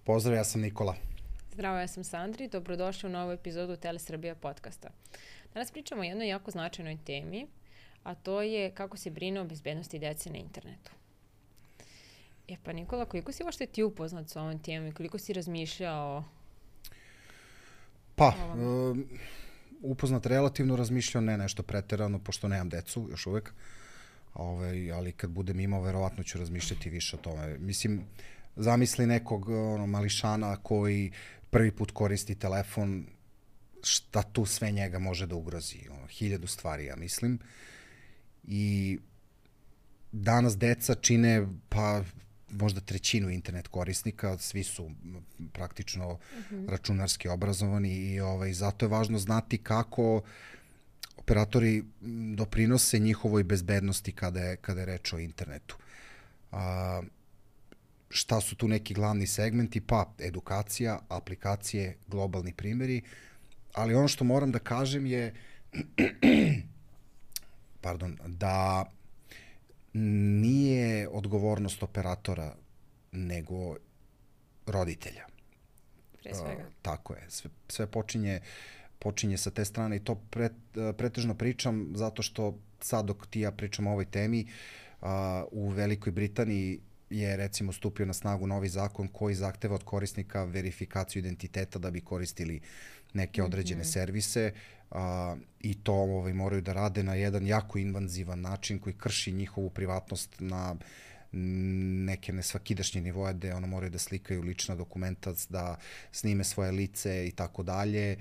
Pozdrav, ja sam Nikola. Zdravo, ja sam Sandri. Dobrodošli u novu epizodu Telesrbija podcasta. Danas pričamo o jednoj jako značajnoj temi, a to je kako se brine o bezbednosti dece na internetu. Pa Nikola, koliko si uopšte ti upoznat sa ovom temom i koliko si razmišljao? Upoznat relativno, razmišljao ne nešto preterano, pošto nemam decu još uvek. Ali kad budem imao, verovatno ću razmišljati više o tome. Mislim, zamisli nekog mališana koji prvi put koristi telefon, šta tu sve njega može da ugrozi. 1000 stvari, ja mislim. I danas deca čine, možda trećinu internet korisnika, svi su praktično računarski obrazovani i zato je važno znati kako operatori doprinose njihovoj bezbednosti kada je reč o internetu. Šta su tu neki glavni segmenti? Edukacija, aplikacije, globalni primjeri, ali ono što moram da kažem je da nije odgovornost operatora, nego roditelja. Pre svega. Tako je. Sve počinje sa te strane i to pretežno pričam zato što sad dok ti ja pričam o ovoj temi, u Velikoj Britaniji je recimo stupio na snagu novi zakon koji zahteva od korisnika verifikaciju identiteta da bi koristili neke određene servise i to moraju da rade na jedan jako invazivan način koji krši njihovu privatnost na neke nesvakidašnje nivoje gde moraju da slikaju lična dokumenta, da snime svoje lice i tako dalje,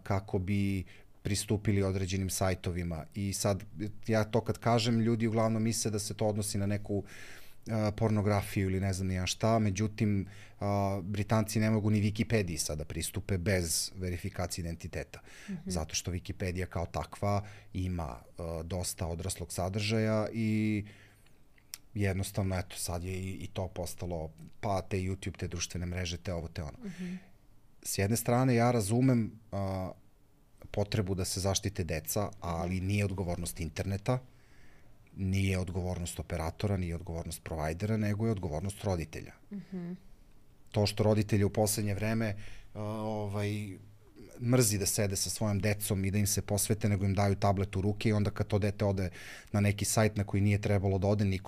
kako bi pristupili određenim sajtovima. I sad, ja to kad kažem, ljudi uglavnom misle da se to odnosi na neku pornografiju ili ne znam ni ja šta, međutim, Britanci ne mogu ni Wikipediji sada pristupe bez verifikacije identiteta, zato što Wikipedija kao takva ima dosta odraslog sadržaja i jednostavno, eto, sad je i to postalo, te YouTube, te društvene mreže, te ovo, te ono. S jedne strane, ja razumem potrebu da se zaštite deca, ali nije odgovornost interneta, nije odgovornost operatora, nije odgovornost provajdera, nego je odgovornost roditelja. To što roditelji u poslednje vreme mrzi da sede sa svojom decom i da im se posvete, nego im daju tablet u ruke i onda kad to dete ode na neki sajt na koji nije trebalo da ode,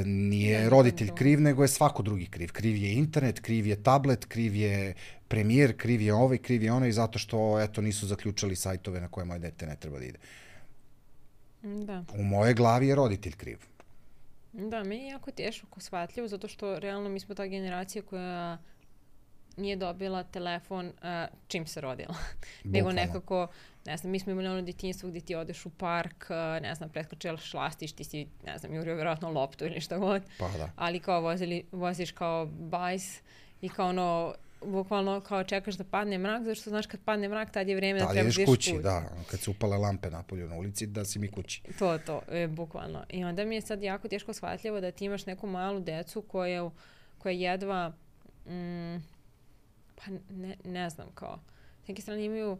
nije roditelj kriv, nego je svako drugi kriv. Kriv je internet, kriv je tablet, kriv je premijer, kriv je ovaj, kriv je onaj, zato što, eto, nisu zaključali sajtove na koje moje dete ne treba da ide. Da. U moje glavi je roditelj kriv. Da, meni je jako teško shvatljivo, zato što realno mi smo ta generacija koja nije dobila telefon čim se rodila. Nego nekako, ne znam, mi smo imali ono detinjstvo gdje ti odeš u park, ne znam, preskočeš lastiš, ti si, ne znam, jurio vjerojatno loptu ili šta god. Ali kao voziš kao bajs i kao ono, bukvalno kao čekaš da padne mrak, zato što znaš kad padne mrak, tad je vreme da trebaš da ideš kući. Da, kad se upale lampe napolju na ulici, da si mi kući. To, bukvalno. I onda mi je sad jako teško shvatljivo da ti imaš neku malu decu koja jedva, ne znam, kao, s neke strane imaju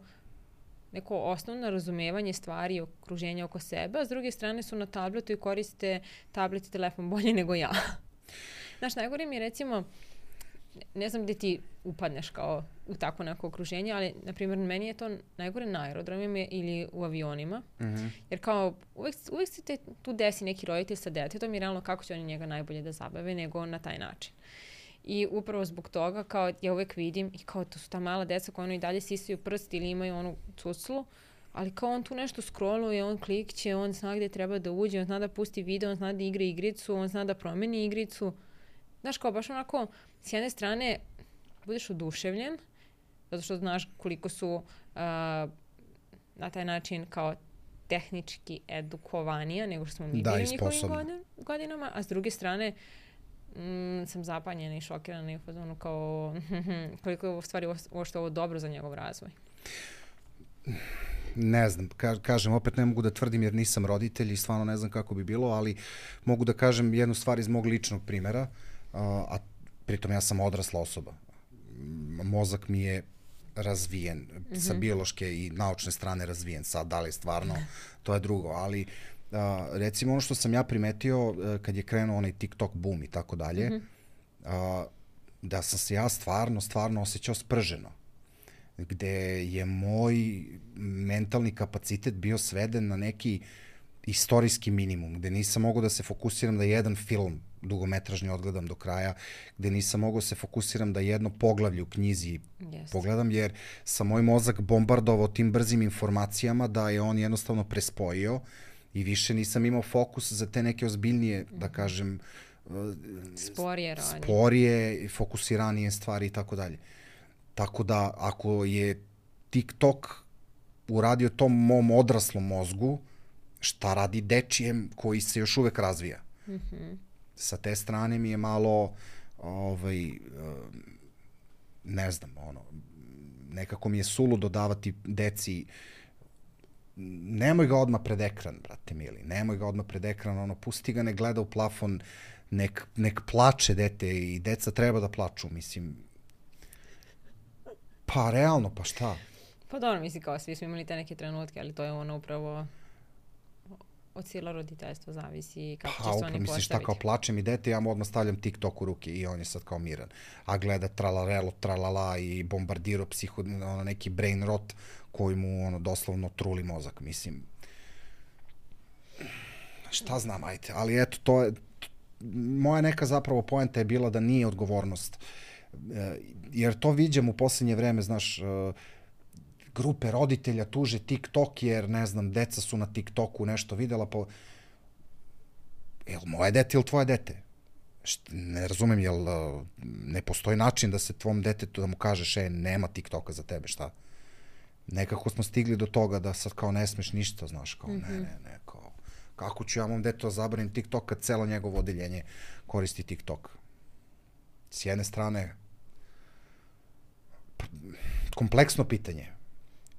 neko osnovno razumevanje stvari i okruženja oko sebe, a s druge strane su na tabletu i koriste tablet i telefon bolje nego ja. Znaš, najgore mi je recimo, ne znam gde ti upadneš kao u tako neko okruženje, ali, na primjer, meni je to najgore na aerodromima ili u avionima, jer kao uvek se tu desi neki roditelj sa detetom i realno kako će oni njega najbolje da zabave nego na taj način. I upravo zbog toga, kao ja uvek vidim, i kao to su ta mala deca koja i dalje sisaju prst ili imaju onu cuclu, ali kao on tu nešto scrolluje, on klikće, on zna gde treba da uđe, on zna da pusti video, on zna da igra igricu, on zna da promeni igricu. Znaš, kao baš onako, s jedne strane, budeš oduševljen, zato što znaš koliko su na taj način kao tehnički edukovanija nego što smo mi bili u njihovim godinama, a s druge strane, sam zapanjena i šokirana i u fazonu kao koliko je u stvari uopšte ovo dobro za njegov razvoj. Ne znam, kažem, opet ne mogu da tvrdim jer nisam roditelj i stvarno ne znam kako bi bilo, ali mogu da kažem jednu stvar iz mog ličnog primjera, a pritom ja sam odrasla osoba. Mozak mi je razvijen, sa biološke i naučne strane razvijen. Sad, da li stvarno, to je drugo, ali recimo ono što sam ja primetio kad je krenuo onaj TikTok boom i tako dalje, da sam se ja stvarno osjećao sprženo. Gde je moj mentalni kapacitet bio sveden na neki istorijski minimum, gde nisam mogao da se fokusiram da jedan film dugometražni odgledam do kraja, gde nisam mogao se fokusiram da jedno poglavlje u knjizi pogledam, jer sam moj mozak bombardovao tim brzim informacijama da je on jednostavno prespojio i više nisam imao fokus za te neke ozbiljnije, da kažem, sporije, fokusiranije stvari i tako dalje. Tako da, ako je TikTok uradio tom mom odraslom mozgu, šta radi dečijem koji se još uvek razvija? Sa te strane mi je malo, ne znam, nekako mi je suludo davati deci, nemoj ga odmah pred ekran, brate mili, nemoj ga odmah pred ekran, pusti ga, ne gleda u plafon, nek plače dete i deca treba da plaču, mislim. Pa realno, pa šta? Pa dobro, mislim, kao svi smo imali te neke trenutke, ali to je upravo od cijelo roditeljstvo zavisi kako će se oni postaviti. Misliš šta, kao plače mi dete, ja mu odmah stavljam TikTok u ruke i on je sad kao miran. A gleda tralarelo, tralala i bombardirao neki brain rot koji mu doslovno truli mozak, mislim. Šta znam, ajte, ali eto, to je, moja neka zapravo poenta je bila da nije odgovornost. Jer to viđam u poslednje vreme, znaš, grupe roditelja tuže TikTok jer, ne znam, deca su na TikToku nešto videla, pa je li moje dete ili tvoje dete? Ne razumem, jel ne postoji način da se tvom detetu, da mu kažeš, nema TikToka za tebe, šta? Nekako smo stigli do toga da sad kao ne smeš ništa, znaš, kao ne, kao, kako ću ja mom detetu zabranim TikTok kad celo njegovo odeljenje koristi TikTok? S jedne strane, kompleksno pitanje.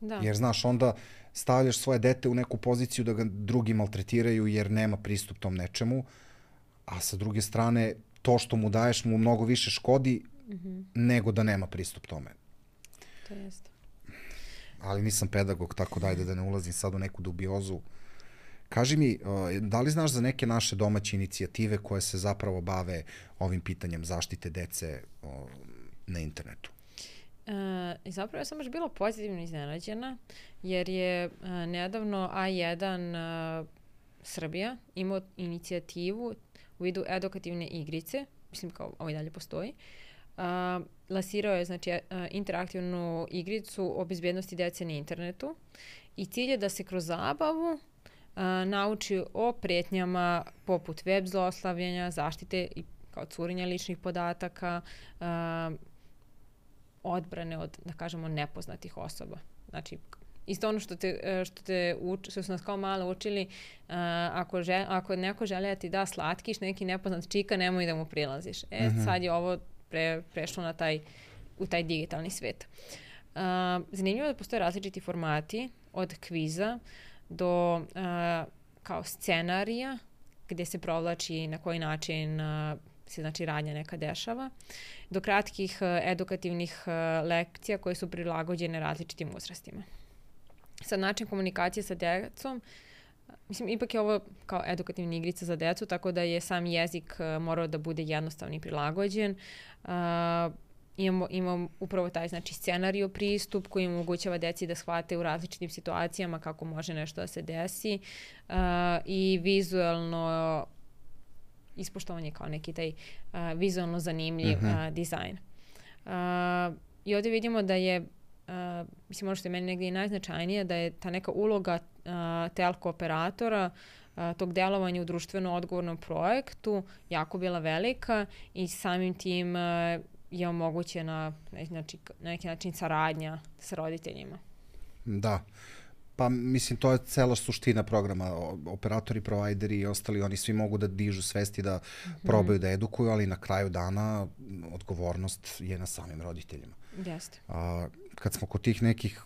Da. Jer, znaš, onda stavljaš svoje dete u neku poziciju da ga drugi maltretiraju jer nema pristup tom nečemu, a sa druge strane, to što mu daješ mu mnogo više škodi nego da nema pristup tome. To jeste. Ali nisam pedagog, tako da ne ulazim sad u neku dubiozu. Kaži mi, da li znaš za neke naše domaće inicijative koje se zapravo bave ovim pitanjem zaštite dece na internetu? Zapravo ja sam baš bila pozitivno iznenađena, jer je nedavno A1 Srbija imao inicijativu u vidu edukativne igrice, mislim kao ovo i dalje postoji. Lansirao je, znači, interaktivnu igricu o bezbednosti dece na internetu i cilj je da se kroz zabavu nauči o pretnjama poput web zlostavljanja, zaštite i kao curenja ličnih podataka, odbrane od, da kažemo, nepoznatih osoba. Znači, isto ono što su nas kao malo učili, ako neko želi da ti da slatkiš, neki nepoznat čika, nemoj da mu prilaziš. Sad je ovo prešlo u taj digitalni svet. Zanimljivo je da postoje različiti formati, od kviza do kao scenarija, gde se provlači na koji način se, znači, radnja neka dešava, do kratkih edukativnih lekcija koje su prilagođene različitim uzrastima. Sad, način komunikacije sa decom, mislim, ipak je ovo kao edukativna igrica za decu, tako da je sam jezik morao da bude jednostavni i prilagođen. Imamo upravo taj, znači, scenario pristup koji omogućava deci da shvate u različitim situacijama kako može nešto da se desi i vizualno ispoštovanje kao neki taj vizualno zanimljiv dizajn. I ovdje vidimo da je, mislim, ono što je meni negdje i najznačajnije, da je ta neka uloga telko operatora, tog delovanja u društveno odgovornom projektu jako bila velika i samim tim je omogućena, znači, na neki način saradnja sa roditeljima. Da. Pa, mislim, to je cela suština programa. Operatori, provajderi i ostali, oni svi mogu da dižu svesti, da probaju da edukuju, ali na kraju dana odgovornost je na samim roditeljima. Jeste. Kad smo kod tih nekih...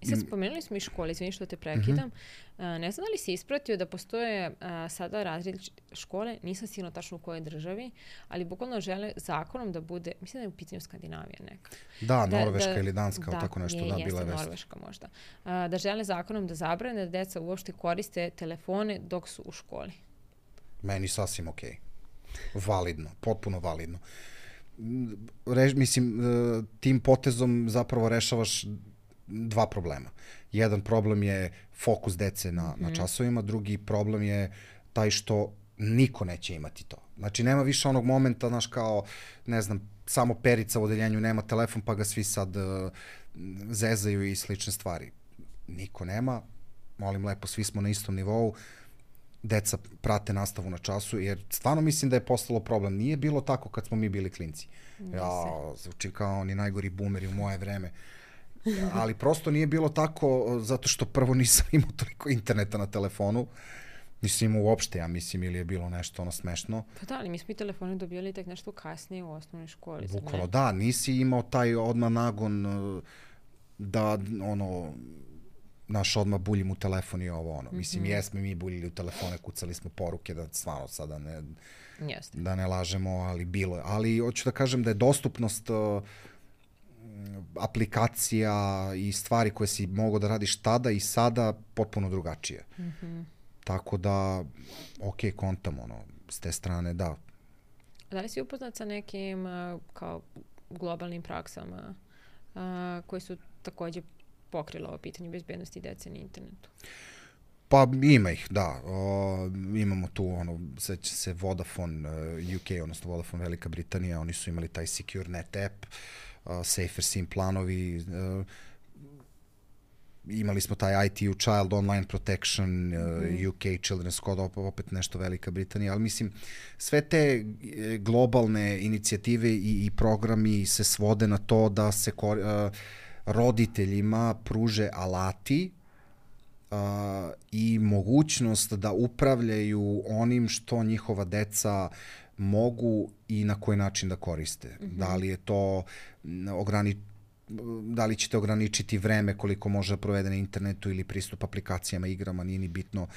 Sad spomenuli smo i škole, izvini što te prekidam. Ne znam da li si ispratio da postoje sada različite škole, nisam sigurno tačno u kojoj državi, ali bukvalno žele zakonom da bude, mislim da je u pitanju Skandinavija neka. Da, Norveška ili Danska, tako nešto, bila je vest. Norveška možda. Da žele zakonom da zabrane da deca uopšte koriste telefone dok su u školi. Meni sasvim okej. Validno, potpuno validno. mislim, tim potezom zapravo rešavaš dva problema. Jedan problem je fokus dece na časovima, drugi problem je taj što niko neće imati to. Znači, nema više onog momenta, znaš, kao, ne znam, samo Perica u odeljenju nema telefon, pa ga svi sad zezaju i slične stvari. Niko nema, molim lepo, svi smo na istom nivou, deca prate nastavu na času, jer stvarno mislim da je postalo problem. Nije bilo tako kad smo mi bili klinci. Zvuči kao oni najgori boomeri u moje vreme. Ali prosto nije bilo tako, zato što prvo nisam imao toliko interneta na telefonu, nisam imao uopšte, ja mislim, ili je bilo nešto ono smešno. Pa da, ali mi smo i telefone dobijali tek nešto kasnije u osnovnoj školi. Bukvalno, da, nisi imao taj odmah nagon da, ono, naš odmah buljim u telefon i ovo, ono. Mislim, jesmo mi buljili u telefone, kucali smo poruke, da stvarno sada da ne lažemo, ali bilo je. Ali hoću da kažem da je dostupnost aplikacija i stvari koje si mogao da radiš tada i sada potpuno drugačije. Tako da, kontam, ono, s te strane, da. Da li si upoznat sa nekim kao globalnim praksama koje su takođe pokrile ovo pitanje bezbednosti dece na internetu? Pa ima ih, da. Imamo tu, ono, seća se Vodafone UK, odnosno Vodafone Velika Britanija, oni su imali taj SecureNet app, Safer SIM planovi, imali smo taj ITU Child Online Protection, UK Children's Code, opet nešto Velika Britanija, ali mislim, sve te globalne inicijative i programi se svode na to da se roditeljima pruže alati i mogućnost da upravljaju onim što njihova deca mogu i na koji način da koriste. Da li je to da li ćete ograničiti vreme koliko može da provede na internetu ili pristup aplikacijama, igrama, nije ni bitno.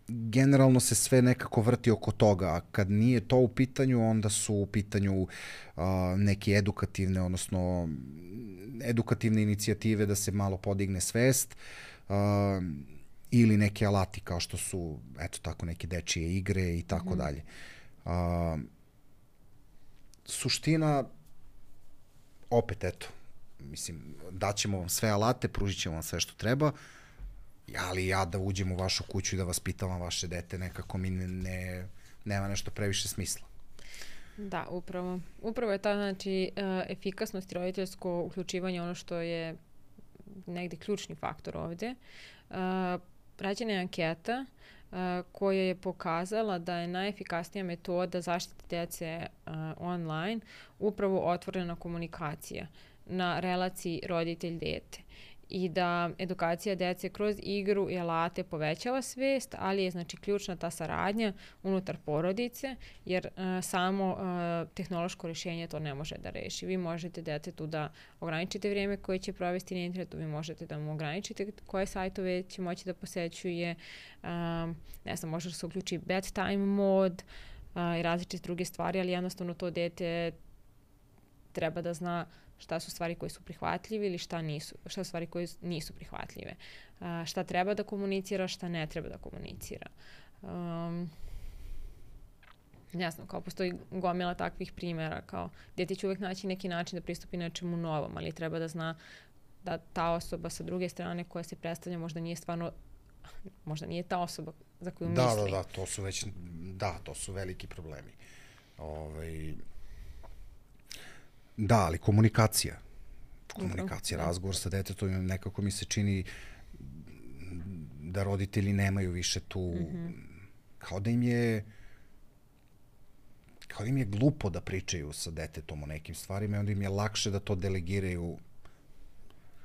Generalno se sve nekako vrti oko toga, a kad nije to u pitanju, onda su u pitanju neke edukativne, odnosno edukativne inicijative da se malo podigne svest, ili neke alati kao što su, eto tako, neke dečije igre i tako dalje. Suština, opet, eto, mislim, daćemo vam sve alate, pružit ćemo vam sve što treba, ali ja da uđem u vašu kuću i da vas pitavam vaše dete, nekako mi nema nešto previše smisla. Da, upravo je ta, znači, efikasnost i roditeljsko uključivanje ono što je negde ključni faktor ovde. Rađena je anketa koja je pokazala da je najefikasnija metoda zaštite dece online upravo otvorena komunikacija na relaciji roditelj-dete i da edukacija dece kroz igru i alate povećava svest, ali je, znači, ključna ta saradnja unutar porodice, jer samo tehnološko rješenje to ne može da reši. Vi možete detetu da ograničite vrijeme koje će provesti na internetu, vi možete da mu ograničite koje sajtove će moći da posećuje, ne znam, može da se uključi bedtime mod i različite druge stvari, ali jednostavno to dete treba da zna šta su stvari koje su prihvatljive ili šta su stvari koje nisu prihvatljive. Šta treba da komunicira, šta ne treba da komunicira. Jasno, kao postoji gomila takvih primjera, kao dete će uvek naći neki način da pristupi nečemu novom, ali treba da zna da ta osoba sa druge strane koja se predstavlja možda nije ta osoba za koju misli. To su veliki problemi. Da, ali komunikacija, razgovor sa detetom, nekako mi se čini da roditelji nemaju više tu, kao da im je glupo da pričaju sa detetom o nekim stvarima i onda im je lakše da to delegiraju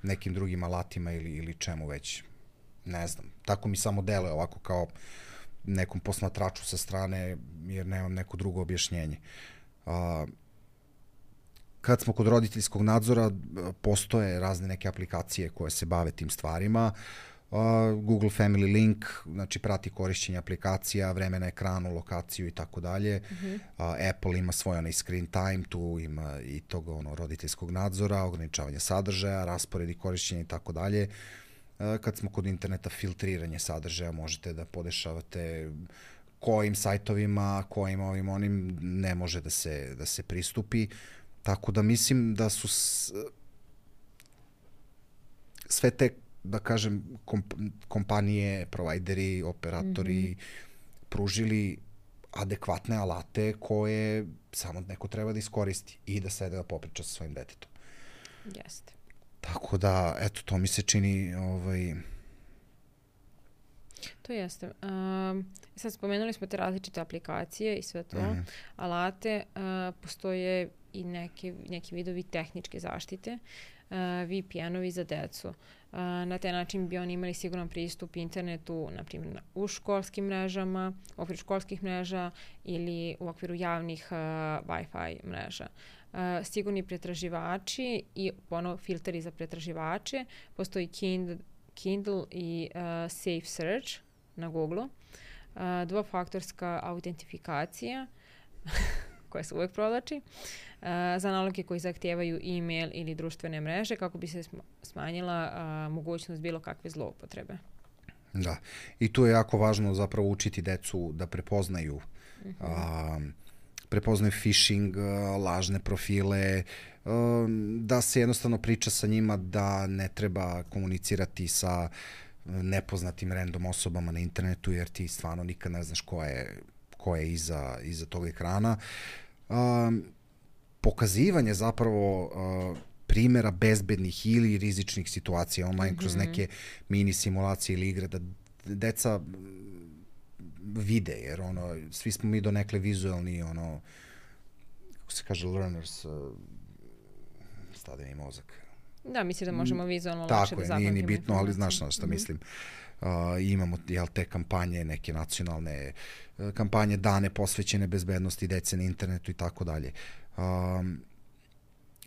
nekim drugim alatima ili čemu već, ne znam. Tako mi samo deluje ovako kao nekom posmatraču sa strane, jer nemam neko drugo objašnjenje. Kad smo kod roditeljskog nadzora, postoje razne neke aplikacije koje se bave tim stvarima. Google Family Link, znači prati korišćenje aplikacija, vreme na ekranu, lokaciju i tako dalje. Apple ima svoj onaj screen time, tu ima i tog roditeljskog nadzora, ograničavanje sadržaja, rasporedi korišćenja i tako dalje. Kad smo kod interneta, filtriranje sadržaja, možete da podešavate kojim sajtovima, kojim ovim onim ne može da se pristupi. Tako da mislim da su sve te, da kažem, kompanije, provajderi, operatori pružili adekvatne alate koje samo neko treba da iskoristi i da sede da popriča sa svojim detetom. Jeste. Tako da, eto, to mi se čini... To jeste. Sad spomenuli smo te različite aplikacije i sve to, alate. Postoje i neki vidovi tehničke zaštite, VPN-ovi za decu. Na taj način bi oni imali siguran pristup internetu, na primjer u školskim mrežama, u okviru školskih mreža ili u okviru javnih Wi-Fi mreža. Sigurni pretraživači i filteri za pretraživače. Postoji Kindle i Safe Search na Google-u. Dvofaktorska autentifikacija koja se uvek provlači, za naloge koji zahtijevaju e-mail ili društvene mreže kako bi se smanjila mogućnost bilo kakve zloupotrebe. Da, i tu je jako važno zapravo učiti decu da prepoznaju phishing, lažne profile, da se jednostavno priča sa njima da ne treba komunicirati sa nepoznatim random osobama na internetu, jer ti stvarno nikad ne znaš ko je iza tog ekrana. Pokazivanje zapravo primjera bezbednih ili rizičnih situacija online kroz neke mini simulacije ili igre, da deca vide, jer svi smo mi donekle vizualni, kako se kaže, learners, stade mi mozak. Da, mislim da možemo vizualno lakše da zapamtimo. Tako je, nije ni bitno, ali znaš šta mislim. Imamo te kampanje, neke nacionalne kampanje, dane posvećene bezbednosti dece na internetu i tako dalje.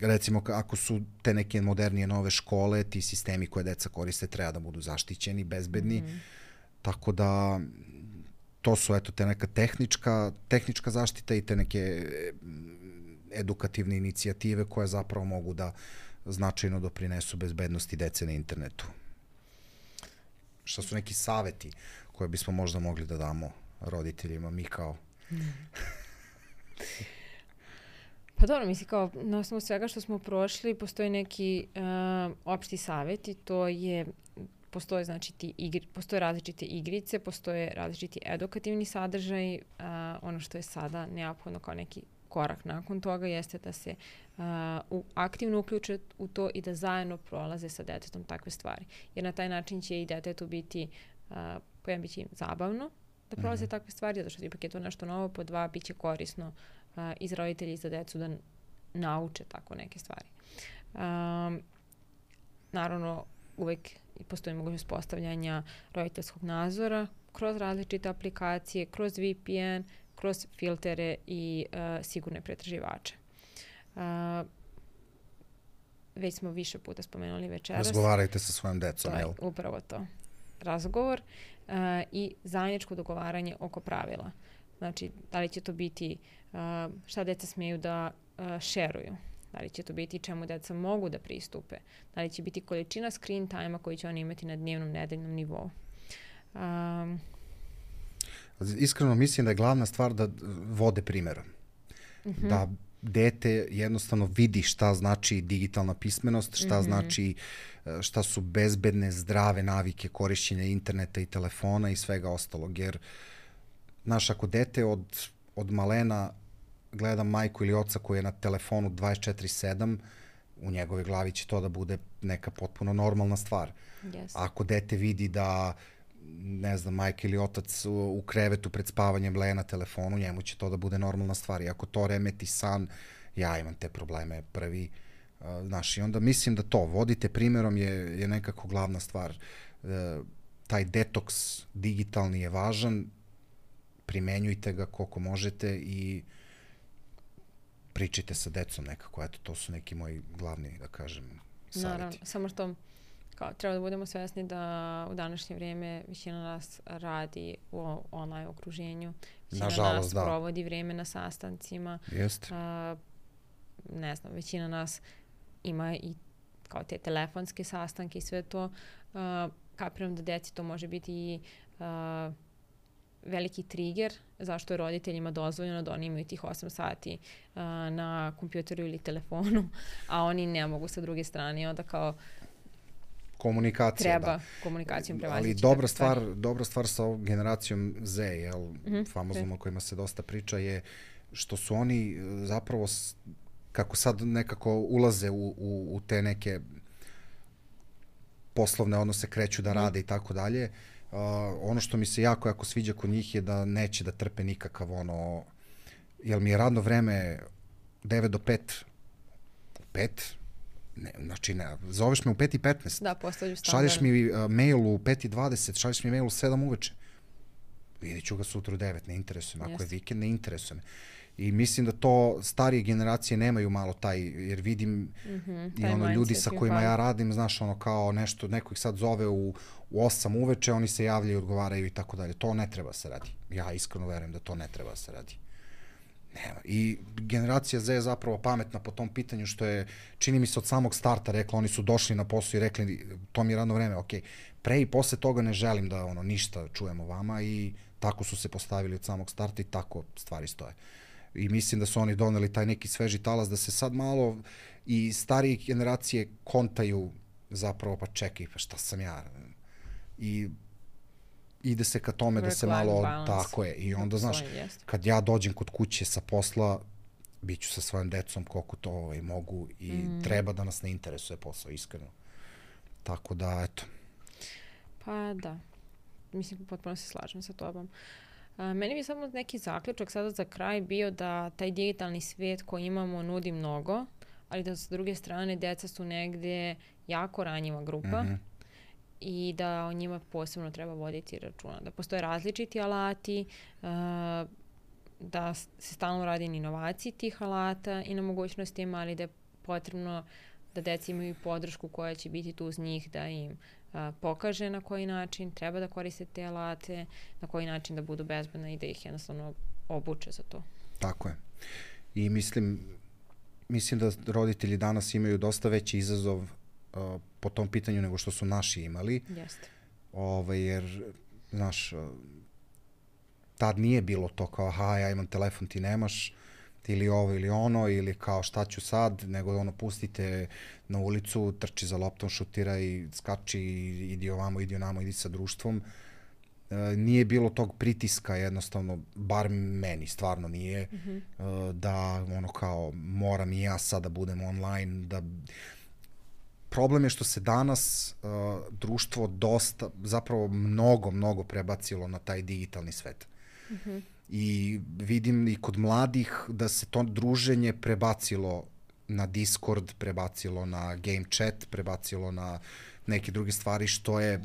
Recimo, ako su te neke modernije nove škole, ti sistemi koje deca koriste treba da budu zaštićeni, bezbedni, tako da to su te neka tehnička zaštita i te neke edukativne inicijative koje zapravo mogu da značajno doprinesu bezbednosti dece na internetu. Šta su neki saveti koje bismo možda mogli da damo roditeljima, mi kao... Pa dobro, mislim kao na osnovu svega što smo prošli postoji neki opšti saveti, to je postoje različite igrice, postoje različiti edukativni sadržaj, ono što je sada neophodno kao neki korak nakon toga jeste da se aktivno uključe u to i da zajedno prolaze sa detetom takve stvari. Jer na taj način će i detetu biti, po jedan biće im zabavno da prolaze takve stvari, zato što ipak je to nešto novo, po dva biće korisno i za roditelji i za decu da nauče tako neke stvari. Naravno, uvek postoji mogućnost postavljanja roditeljskog nadzora kroz različite aplikacije, kroz VPN, kroz filtere i sigurne pretraživače. Već smo više puta spomenuli večeras. Razgovarajte sa svojom decom, jel? To je upravo to. Razgovor i zajedničko dogovaranje oko pravila. Znači, da li će to biti šta deca smeju da šeruju, da li će to biti čemu deca mogu da pristupe, da li će biti količina screen time-a koju će oni imati na dnevnom, nedeljnom nivou. Iskreno mislim da je glavna stvar da vode primjerom. Da dete jednostavno vidi šta znači digitalna pismenost, šta znači, šta su bezbedne, zdrave navike korišćenja interneta i telefona i svega ostalog. Jer, znaš, ako dete od malena gleda majku ili oca koji je na telefonu 24/7, u njegove glavi će to da bude neka potpuno normalna stvar. Yes. Ako dete vidi da, ne znam, majka ili otac u krevetu pred spavanjem bleje na telefonu, njemu će to da bude normalna stvar. I ako to remeti san, ja imam te probleme prvi. Znaš, i onda mislim da to, vodite primjerom je nekako glavna stvar. Taj detoks digitalni je važan, primenjujte ga koliko možete i pričajte sa decom nekako. Eto, to su neki moji glavni, da kažem, savjeti. Naravno, samo što treba da budemo svesni da u današnje vrijeme većina nas radi u online okruženju. Većina nas provodi vrijeme na sastancima. Jeste. Ne znam, većina nas ima i kao te telefonske sastanke i sve to. Kapiram da deci to može biti i veliki trigger zašto je roditeljima dozvoljeno da oni imaju tih 8 sati na kompjuteru ili telefonu, a oni ne mogu sa druge strane. Onda kao komunikacija, treba komunikacijom prevazići. Ali dobra stvar sa ovom generacijom Z, famoznom o kojima se dosta priča, je što su oni zapravo, kako sad nekako ulaze u te neke poslovne odnose, kreću da rade i tako dalje. Ono što mi se jako sviđa kod njih je da neće da trpe nikakav jel mi je radno vreme 9 do 5, 5, ne, znači ne, zoveš me u 5:15. Da, postavlju standard. Šalješ mi mail u 5:20, šalješ mi mail u 7 uveče. Vidjet ću ga sutra u 9, ne interesuje me. Ako je vikend, ne interesuje me. I mislim da to starije generacije nemaju malo taj, jer vidim i ljudi sa kojima ja radim, znaš, kao nešto, neko ih sad zove u 8 uveče, oni se javljaju, odgovaraju i tako dalje. To ne treba se radi. Ja iskreno verujem da to ne treba se radi. Nema. I generacija Z je zapravo pametna po tom pitanju, što je, čini mi se, od samog starta rekla, oni su došli na posao i rekli, to mi je radno vreme, okej. Pre i posle toga ne želim da ništa čujemo vama, i tako su se postavili od samog starta i tako stvari stoje. I mislim da su oni doneli taj neki sveži talas, da se sad malo i starije generacije kontaju zapravo, pa čekaj, pa šta sam ja? I ide se ka tome da se malo, tako je, i onda, znaš, kad ja dođem kod kuće sa posla, bit ću sa svojom decom koliko to mogu, i treba da nas ne interesuje posao, iskreno. Tako da, eto. Pa da, mislim, potpuno se slažem sa tobom. Meni bi samo neki zaključak sada za kraj bio da taj digitalni svijet koji imamo nudi mnogo, ali da s druge strane deca su negdje jako ranjiva grupa i da o njima posebno treba voditi računa. Da postoje različiti alati, da se stalno radi na inovaciji tih alata i na mogućnostima, ali da je potrebno da deca imaju podršku koja će biti tu uz njih, da im pokaže na koji način treba da koriste te alate, na koji način da budu bezbedne i da ih jednostavno obuče za to. Tako je. I mislim da roditelji danas imaju dosta veći izazov po tom pitanju nego što su naši imali. Jeste. Jer, znaš, tad nije bilo to kao, aha, ja imam telefon, ti nemaš, ili ovo ili ono, ili kao šta ću sad, nego pustite na ulicu, trči za loptom, šutira i skači, idi ovamo, idi onamo, idi sa društvom. Nije bilo tog pritiska, jednostavno, bar meni stvarno nije, da kao moram i ja sad da budem online, da... Problem je što se danas društvo dosta, zapravo mnogo prebacilo na taj digitalni svet. I vidim i kod mladih da se to druženje prebacilo na Discord, prebacilo na game chat, prebacilo na neke druge stvari, što je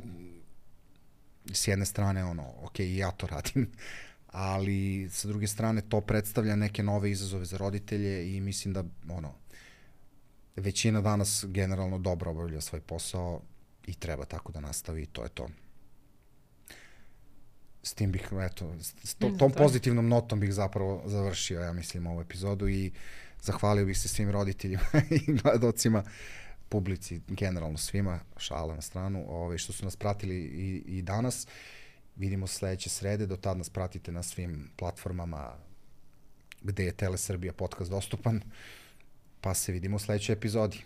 s jedne strane ok, i ja to radim, ali sa druge strane to predstavlja neke nove izazove za roditelje i mislim da većina danas generalno dobro obavlja svoj posao i treba tako da nastavi i to je to. S tim bih, tom pozitivnom notom bih zapravo završio, ja mislim, ovu epizodu i zahvalio bih se svim roditeljima i gledocima, publici, generalno svima, šala na stranu, što su nas pratili i danas. Vidimo se sledeće srede, do tad nas pratite na svim platformama gde je Tele Srbija podcast dostupan, pa se vidimo u sledećoj epizodi.